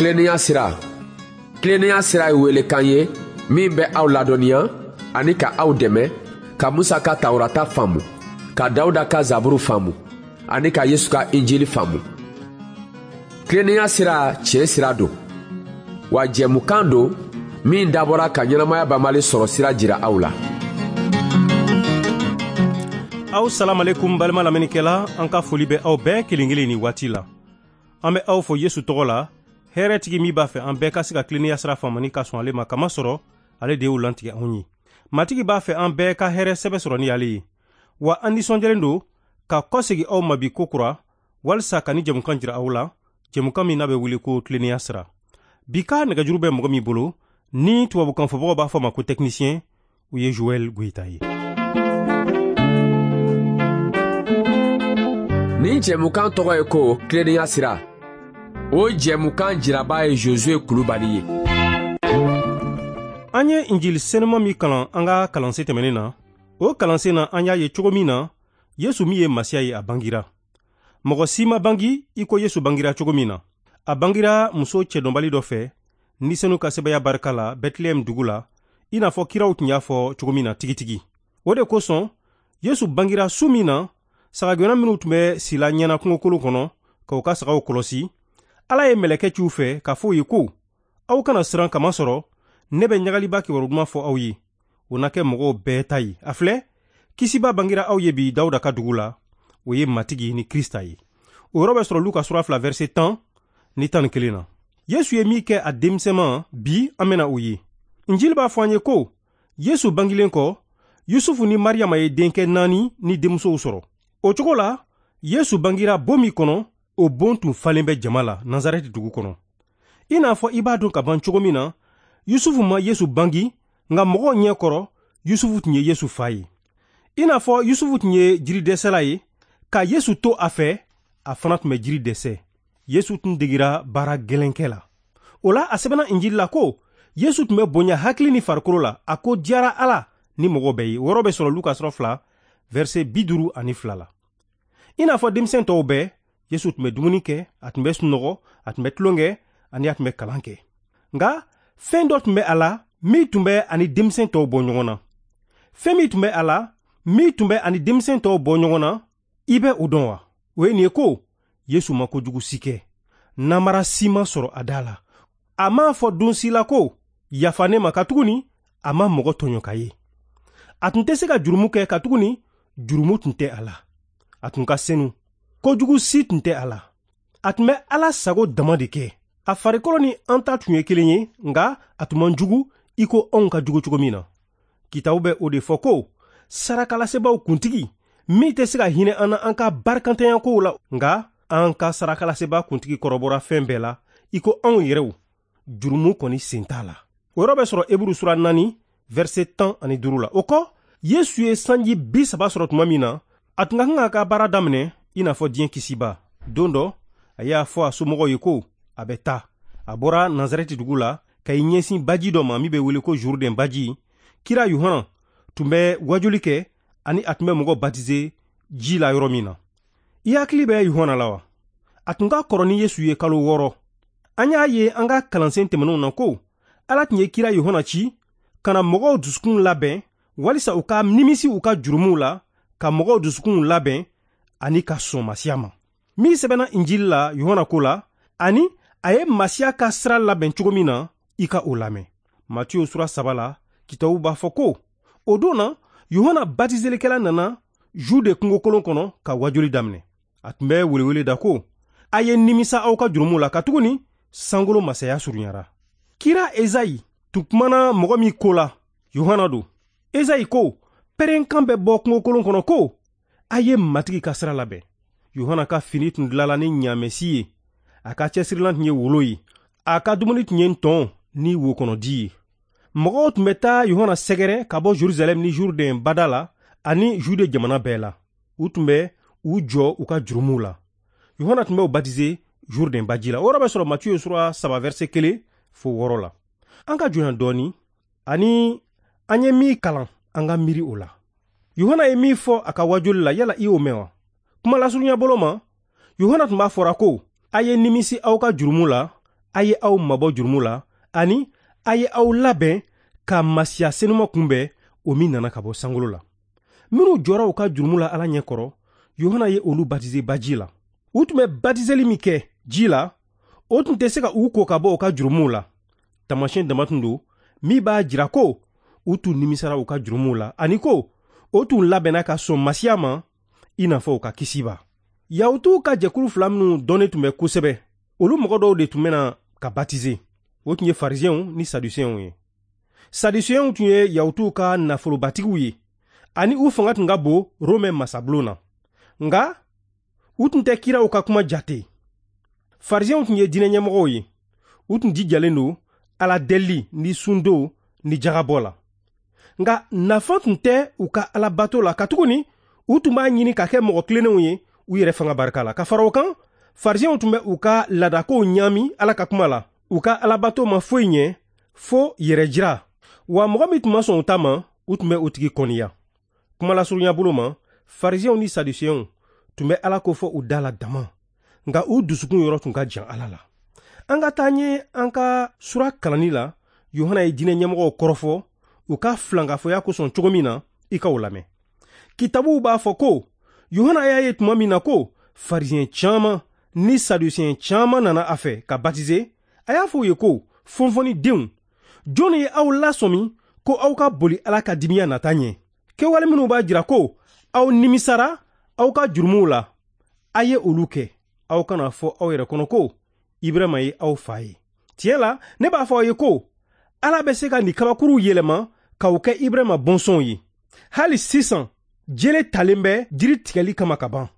Tilennenya sira. Tilennenya sira ye welekan ye min bɛ aw ladɔnniya ani ka aw dɛmɛ ka Musa ka Tawurata faamu, ka Dawuda ka Zaburu faamu ani ka Yesu ka Injili faamu. Tilennenya sira tiɲɛ sira don, wa jɛmukan don min dabɔra ka ɲɛnamaya banbali sɔrɔ sira jira aw la. Aw salamalekum balima lamɛnnikɛla, an ka foli bɛ aw bɛɛ kelen kelen ni waati la. An bɛ aw fo Yesu tɔgɔ la, hɛrɛtigi min b'a fɛ an bɛɛ ka se ka tilennenya sira faamu ni ka sɔn ale ma, kamasɔrɔ ale de y'o lantigɛ anw ye. Matigi b'a fɛ an bɛɛ ka hɛrɛ sɛbɛ sɔrɔ ni ale ye. Wa an nisɔndiyalen don ka kɔsegin aw ma bi kokura walisa ka ni jɛmukan jira aw la, jɛmukan min n'a bɛ wele ko tilennenya sira. Bi ka nɛgɛjuru bɛ mɔgɔ min bolo, ni tubabukan fɔbagaw b'a fɔ ma ko technicien, o ye Joël Goïta ye. Nin jɛmukan tɔgɔ ye ko tilennenya sira. O jɛmukan jiraba ye Josué Kulubali ye. An ye Injili senuma min kalan an ka kalansen tɛmɛnen na, o kalansen na an y'a ye cogo min na Yesu min ye Masiya ye, a bangira. Mɔgɔ si ma bangi i ko Yesu bangira cogo min na. A bangira muso cɛdɔnbali dɔ fɛ, ni senu ka sɛbɛya barika la Bɛtilɛhɛm dugu la, i n'a fɔ kiraw tun y'a fɔ cogo min na tigitigi. O de kosɔn Yesu bangira su min na, sagagɛnna minnu tun bɛ sila ɲɛna kungokolon kɔnɔ k'u ka sagaw kɔlɔsi, Ala ye mɛlɛkɛ ci u fɛ k'a fɔ u ye ko, aw kana siran, kamasɔrɔ ne bɛ ɲagaliba kibaru duman fɔ aw ye, o na kɛ mɔgɔw bɛɛ ta ye. A filɛ, kisiba bangira aw ye bi Dawuda ka dugu la, o ye Matigi ni Krista ye. O yɔrɔ bɛ sɔrɔ Luka sura 2 verset 10 ni 11 na. Yesu ye min kɛ a denmisɛnman, bi an bɛna o ye. Injili b'a fɔ an ye ko Yesu bangilen kɔ, Yusufu ni Mariyama ye denkɛ 4 ni denmusow sɔrɔ. O cogo la, Yesu bangira bon min kɔnɔ, o bon tun falen bɛ jama la Nazarɛti dugu kɔnɔ. I n'a fɔ i b'a dɔn ka ban cogo min na, Yusufu ma Yesu bangi, nka mɔgɔw ɲɛ kɔrɔ, Yusufu tun ye Yesu fa ye. I n'a fɔ Yusufu tun ye jiridɛsɛla ye, ka Yesu to a fɛ, a fana tun bɛ jiri dɛsɛ. Yesu tun degira baara gɛlɛnkɛ la. O la, a sɛbɛnna Injili la ko Yesu tun bɛ bonya hakili ni farikolo la, a ko diyara Ala ni mɔgɔ bɛɛ ye. O yɔrɔ bɛ sɔrɔ Luka sura 2 verset 52 la. I n'a fɔ denmisɛn tɔw bɛɛ, Yesu tun bɛ dumuni kɛ, a tun bɛ sunɔgɔ, a tun bɛ tulon kɛ, ani a tun bɛ kalan kɛ. Nka fɛn dɔ tun bɛ a la min tun bɛ ani denmisɛn tɔw bɔ ɲɔgɔn na. Fɛn min tun bɛ a la min tun bɛ ani denmisɛn tɔw bɔ ɲɔgɔn na, i bɛ o dɔn wa? O ye nin ye ko Yesu ma kojugu si kɛ, namara si ma sɔrɔ a da la. A m'a fɔ don si la ko yafa ne ma, katuguni a ma mɔgɔ tɔɲɔ ka ye. A tun tɛ se ka jurumu kɛ, katuguni jurumu tun tɛ a la. A tun ka senu, kojugu si tun tɛ a la. A tun bɛ Ala sago dama de kɛ. A farikolo ni an ta tun ye kelen ye, nka a tun man jugu i ko anw ka jugu cogo min na. Kitabu bɛ o de fɔ ko sarakalasebaaw kuntigi min tɛ se ka hinɛ an na an ka barikantanya kow la, nka an ka sarakalasebaa kuntigi kɔrɔbɔra fɛn bɛɛ la i ko anw yɛrɛw, jurumu kɔni sen t'a la. O yɔrɔ bɛ sɔrɔ Eburu sura 4 verset 15 la. O kɔ, Yesu ye sanji 30 sɔrɔ tuma min na, a tun ka kan k'a ka baara daminɛ i n'a fɔ diɲɛ kisiba. Don dɔ, a y'a fɔ a somɔgɔw ye ko a bɛ taa. A bɔra Nazarɛti dugu la ka i ɲɛsin baji dɔ ma min bɛ wele ko Jourdain baji. Kira Yohana tun bɛ wajuli kɛ ani a tun bɛ mɔgɔw batize ji la yɔrɔ min na. I hakili bɛ Yohana la wa? A tun ka kɔrɔ ni Yesu ye kalo 6. An y'a ye an ka kalansen tɛmɛnenw na ko Ala tun ye kira Yohana ci ka na mɔgɔw dusukun labɛn walisa u ka nimisi u ka jurumuw la, ka mɔgɔw dusukunw labɛn ani ka sɔn Masiya ma. Min sɛbɛnna Injili la Yohana ko la, ani a ye Masiya ka sira labɛn cogo min na, i ka o lamɛn. Matiyo sura 3 la, kitabu b'a fɔ ko o don na, Yohana batizelikɛla nana Jude kungokolon kɔnɔ ka wajuli daminɛ. A tun bɛ welewele da ko, a ye nimisa aw ka jurumuw la, katuguni sankolo masaya surunyara. Kira Ezayi tun kumana mɔgɔ min ko la, Yohana don. Ezayi ko, pɛrɛnkan bɛ bɔ kungokolon kɔnɔ ko, a ye Matigi ka sira labɛn. Yohana ka fini tun dilala ni ɲaamɛsi ye, a ka cɛsirilan tun ye wolo ye, a ka dumuni tun ye ntɔn ni wokɔnɔdi ye. Mɔgɔw tun bɛ taa Yohana sɛgɛrɛ ka bɔ Jerusalɛm ni Jourdain bada la ani Jude jamana bɛɛ la. U tun bɛ u jɔ u ka jurumuw la. Yohana tun bɛ u batize Jourdain baji la. O yɔrɔ bɛ sɔrɔ Matiyo sura 3 verset 1 fo 6 la. An ka jɔnya dɔɔni ani an ye min kalan, an ka miiri o la. Yohana ye min fɔ a ka wajuli la, yala i y'o mɛn wa? Kuma lasurunya bolo ma, Yohana tun b'a fɔra ko a ye nimisi aw ka jurumu la A ye aw mabɔ jurumu la ani a ye aw labɛn ka Masiya senuma kunbɛn, o min nana ka bɔ sankolo la. Minnu jɔra u ka jurumu la Ala ɲɛ kɔrɔ, Yohana ye olu batize baji la. U tun bɛ batizeli min kɛ ji la, o tun tɛ se ka u ko ka bɔ u ka jurumuw la. Taamasiyɛn dama tun don min b'a jira ko u tun nimisara u ka jurumuw la ani ko o tun labɛnna ka sɔn Masiya ma i n'a fɔ u ka kisiba. Yahutuw ka jɛkulu fila minnu dɔnnen tun bɛ kosɛbɛ, olu mɔgɔ dɔw de tun bɛna ka batize. O tun ye farisiyɛnw ni sadusiyɛnw ye. Sadusiyɛnw tun ye Yahutuw ka nafolobatigiw ye ani u fanga tun ka bon Romɛ masabulon na. Nka u tun tɛ kiraw ka kuma jate. Farisiyɛnw tun ye diinɛ ɲɛmɔgɔw ye. U tun jijalen don Ala deli ni sundon ni jagabɔ la. Nka nafa tun tɛ u ka alabato la, katuguni u tun b'a ɲini ka kɛ mɔgɔ tilennenw ye u yɛrɛ fanga barika la. Ka fara o kan, farisiyɛnw tun bɛ u ka laadakow ɲaami Ala ka kuma la. U ka alabato ma foyi ɲɛ fo yɛrɛ jira. Wa mɔgɔ min tun ma sɔn u ta ma, u tun bɛ o tigi kɔniya. Kumalasurunya bolo ma, farisiyɛnw ni sadusiyɛnw tun bɛ Ala ko fɔ u da la dama, nka u dusukun yɔrɔ tun ka jan Ala la. An ka taa ɲɛ an ka sura kalanni la. Yohana ye diinɛ ɲɛmɔgɔw kɔrɔfɔ u ka filankafoya kosɔn cogo min na, i ka o lamɛn. Kitabuw b'a fɔ ko Yohana y'a ye tuma min na ko farisiyɛn caman ni sadusiyɛn caman nana a fɛ ka batize, a y'a fɔ u ye ko fɔnfɔnnidenw, jɔnni ye aw lasɔmi ko aw ka boli Ala ka dimiya nata ɲɛ? Kɛwale minnu b'a jira ko aw nimisara aw ka jurumuw la, a ye olu kɛ. Aw kana fɔ aw yɛrɛ kɔnɔ ko Ibrahima ye aw fa ye. Tiɲɛ la, ne b'a fɔ aw ye ko Ala bɛ se ka nin kabakuruw yɛlɛma k'aw kɛ Ibrahima bɔnsɔnw ye. Hali sisan, jele talen bɛ jiri tigɛli kama ka ban.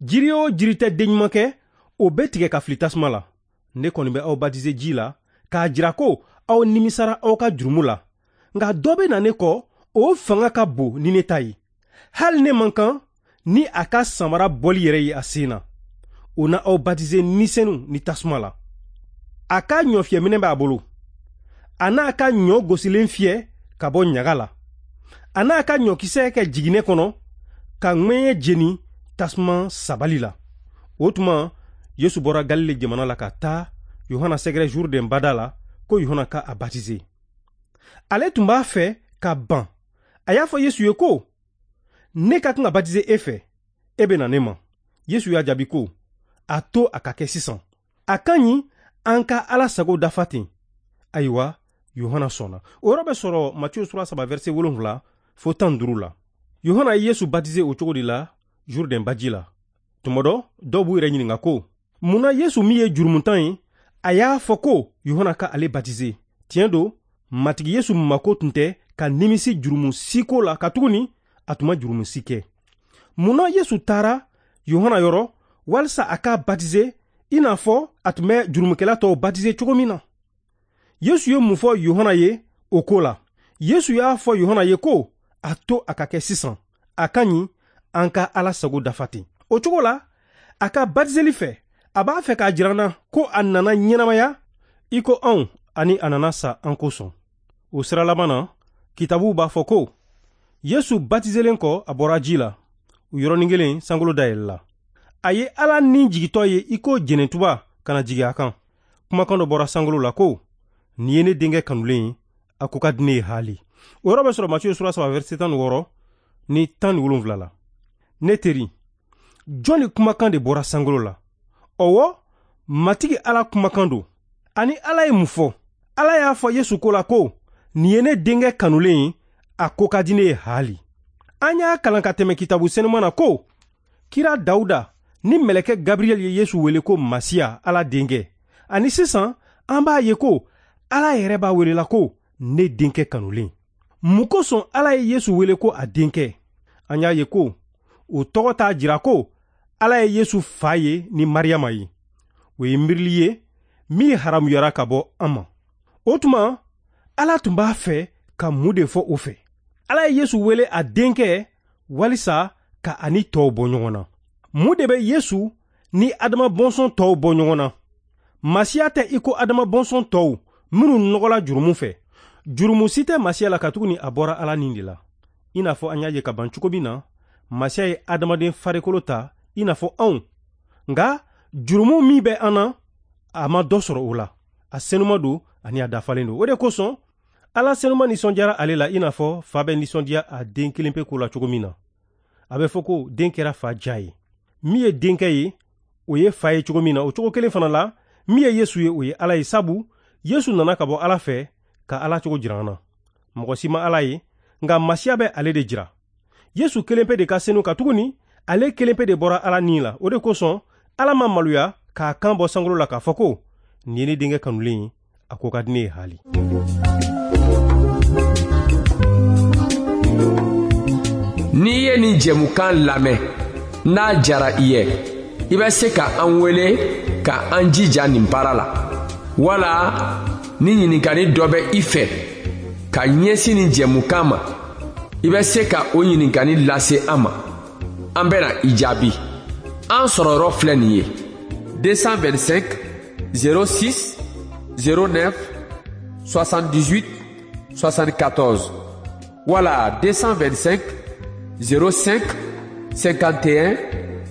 Jiri o jiri tɛ den ɲuman kɛ, o bɛ tigɛ ka fili tasuma la. Ne kɔni bɛ aw batize ji la k'a jira ko aw nimisara aw ka jurumu la. Nka dɔ bɛ na ne kɔ, o fanga ka bon ni ne ta ye. Hali ne man kan ni a ka samara bɔli yɛrɛ ye a sen na. O na aw batize ni senu ni tasuma la. A ka ɲɔfiyɛminɛ b'a bolo. A n'a ka ɲɔ gosilen fiyɛ ka bɔ ɲaga la. A n'a ka ɲɔkisɛ kɛ jiginɛ kɔnɔ ka ŋɛɲɛ jeni tasuma sabali la. O tuma, Yesu bɔra Galile jamana la ka taa Yohana sɛgɛrɛ Jourdain bada la ko Yohana ka a batize. Ale tun b'a fɛ ka ban. A y'a fɔ Yesu ye ko, ne ka kan ka batize e fɛ, e bɛ na ne ma. Yesu y'a jaabi ko, a to a ka kɛ sisan. A ka ɲi an ka Ala sago dafa ten. Ayiwa, Yohana sɔnna. O yɔrɔ bɛ sɔrɔ Matiyu sura 3 verset 7 fo 15 la. Yohana ye Yesu batize o cogo de la Jourdain baji la. Tuma dɔ, dɔw b'u yɛrɛ ɲininka ko, mun na Yesu min ye jurumuntan ye, a y'a fɔ ko Yohana ka ale batize? Tiɲɛ don, Matigi Yesu mako tun tɛ ka nimisi jurumu si ko la, katuguni a tun ma jurumu si kɛ. Mun na Yesu taara Yohana yɔrɔ walisa a k'a batize i n'a fɔ a tun bɛ jurumukɛla tɔw batize cogo min na? Yesu ye mun fɔ Yohana ye o ko la? Yesu y'a fɔ Yohana ye ko a to a ka kɛ sisan. A ka ɲi an ka Ala sago dafa ten. O cogo la, a ka batizeli fɛ, a b'a fɛ k'a jira an na ko a nana ɲɛnamaya i ko anw ani a nana sa an kosɔn. O sira laban na, kitabuw b'a fɔ ko Yesu batizelen kɔ, a bɔra ji la. O yɔrɔnin kelen, sankolo dayɛlɛla. A ye Ala ni jigitɔ ye i ko jɛnɛtuba ka na jigin a kan. Kumakan dɔ bɔra sankolo la ko, nin ye ne denkɛ kanulen ye, a ko ka di ne ye haali. O yɔrɔ bɛ sɔrɔ Matiyu sura 3 verset 16 ni 17 la. Ne teri, jɔnni kumakan de bɔra sankolo la? Ɔwɔ, Matigi Ala kumakan don. Ani Ala ye mun fɔ? Ala y'a fɔ Yesu ko la ko, nin ye ne denkɛ kanulen ye, a ko ka di ne ye haali. An y'a kalan ka tɛmɛ kitabu senuman na ko, kira Dawuda ni mɛlɛkɛ Gabriel ye Yesu wele ko Masiya, Ala denkɛ. Ani sisan, an b'a ye ko Ala yɛrɛ b'a welela ko ne denkɛ kanulen. Mun kosɔn Ala ye Yesu wele ko a denkɛ? An y'a ye ko o tɔgɔ t'a jira ko Ala ye Yesu fa ye ni Mariyama ye. O ye miirili ye min haramuyara ka bɔ an ma. O tuma, Ala tun b'a fɛ ka mun de fɔ o fɛ? Ala ye Yesu wele a denkɛ walisa ka a ni tɔw bɔ ɲɔgɔn na. Mun de bɛ Yesu ni Adama bɔnsɔn tɔw bɔ ɲɔgɔn na? Masiya tɛ i ko Adama bɔnsɔn tɔw minnu nɔgɔla jurumu fɛ. Jurumu si tɛ Masiya la katuguni a bɔra Ala ni de la. I n'a fɔ an y'a ye ka ban cogo min na, Masiya ye adamaden farikolo ta i n'a fɔ anw. Nka jurumu min bɛ an na, A ma dɔ sɔrɔ o la. A senuma don ani a dafalen don. O de kosɔn Ala senuma nisɔndiyara ale la, i n'a fɔ fa bɛ nisɔndiya a den kelen pe ko la cogo min na. A bɛ fɔ ko den kɛra fa ja ye. Min ye denkɛ ye, o ye fa ye cogo min na, o cogo kelen fana la, min ye Yesu ye, o ye Ala ye, sabu Yesu nana ka bɔ Ala fɛ ka Ala cogo jira an na. Mɔgɔ si ma Ala ye, nka Masiya bɛ ale de jira. Yesu kelen pe de ka senu, katuguni ale kelen pe de bɔra Ala ni la. O de kosɔn Ala ma maloya k'a kan bɔ sankolo la k'a fɔ ko nin ye ne denkɛ kanulen ye, a ko ka di ne ye haali. N'i ye nin jɛmukan lamɛn, n'a jara i ye, i bɛ se ka an wele ka an jija nin baara la, wala ni ɲininkali dɔ bɛ i fɛ ka ɲɛsin nin jɛmukan ma, i bɛ se ka o ɲininkali lase an ma, an bɛna i jaabi. An sɔrɔyɔrɔ filɛ nin ye: 225 06 09 78 74 wala 225 05 51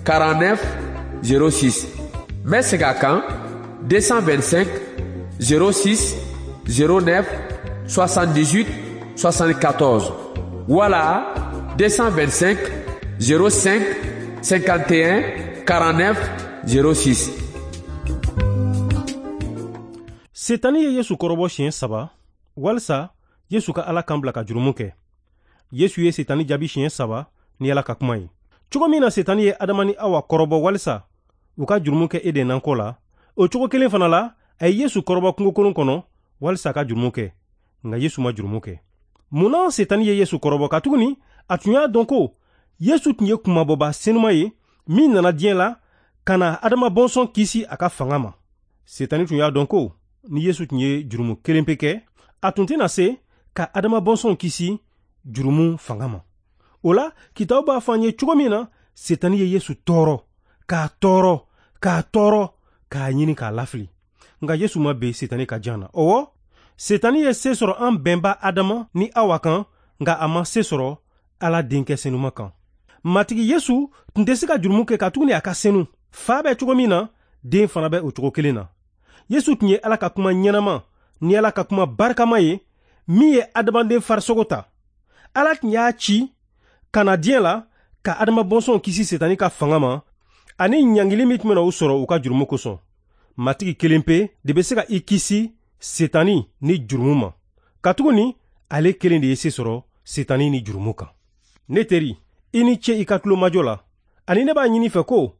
49 06. N bɛ segin a kan: 225 06 09 78 74 wala 225 05 51 49 06. Setani ye Yesu kɔrɔbɔ siɲɛ 3 walisa Yesu ka Ala kan bila ka jurumu kɛ. Yesu ye Setani jaabi siɲɛ 3 ni Ala ka kuma ye. Cogo min na Setani ye Adama ni Awa kɔrɔbɔ walisa u ka jurumu kɛ Eden nakɔ la, o cogo kelen fana la, a ye Yesu kɔrɔbɔ kungokolon kɔnɔ walisa a ka jurumu kɛ. Nka Yesu ma jurumu kɛ. Mun na Setani ye Yesu kɔrɔbɔ? Katuguni a tun y'a dɔn ko Yesu tun ye kunmabɔba senuma ye min nana diɲɛ la ka na Adama bɔnsɔn kisi a ka fanga ma. Setani tun y'a dɔn ko ni Yesu tun ye jurumu kelen pe kɛ, a tun tɛna se ka Adama bɔnsɔn kisi jurumu fanga ma. O la, kitabu b'a fɔ an ye cogo min na Setani ye Yesu tɔɔrɔ, k'a tɔɔrɔ, k'a tɔɔrɔ, k'a ɲini k'a lafili. Nka Yesu ma ben Setani ka jan na. Ɔwɔ, Setani ye se sɔrɔ an bɛnba Adama ni Awa kan, nka a ma se sɔrɔ Ala denkɛ senuma kan. Matigi Yesu tun tɛ se ka jurumu kɛ, katuguni a ka senu. Fa bɛ cogo min na, den fana bɛ o cogo kelen na. Yesu tun ye Ala ka kuma ɲɛnama ni Ala ka kuma barikama ye min ye adamaden farisogo ta. Ala tun y'a ci ka na diɲɛ la ka Adama bɔnsɔnw kisi Setani ka fanga ma ani ɲangili min tun bɛna u sɔrɔ u ka jurumu kosɔn. Matigi kelen pe de bɛ se ka i kisi Setani ni jurumu ma, katuguni ale kelen de ye se sɔrɔ Setani ni jurumu kan. Ne teri, i ni ce i ka tulomajɔ la, ani ne b'a ɲini fɛ ko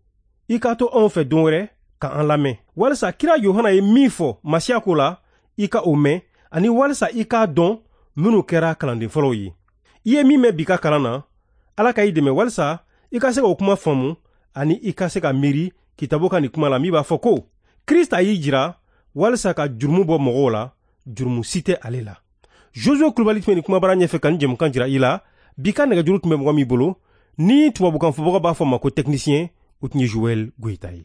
i ka to anw fɛ don wɛrɛ ka an lamɛn, walisa kira Yohana ye min fɔ Masiya ko la, i ka o mɛn, ani walisa i k'a dɔn minnu kɛra kalanden fɔlɔw ye. I ye min mɛn bi ka kalan na, Ala ka i dɛmɛ walisa i ka se k'o kuma faamu, ani i ka se ka miiri kitabu ka nin kuma la min b'a fɔ ko Krista y'i jira walisa ka jurumu bɔ mɔgɔw la, jurumu si tɛ ale la. Josué Kulubali tun bɛ nin kumabara ɲɛfɛ ka nin jɛmukan jira i la. Bi ka nɛgɛjuru tun bɛ mɔgɔ min bolo, ni tubabukan fɔbaga b'a fɔ ma ko technicien, o tun ye Joël Goyita ye.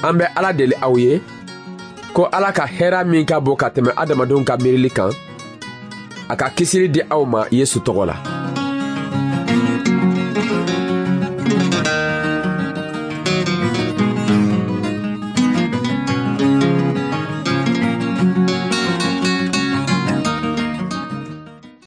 An bɛ Ala deli aw ye ko Ala ka hɛra min ka bon ka tɛmɛ adamadenw ka miirili kan, a ka kisili di aw ma Yesu tɔgɔ la.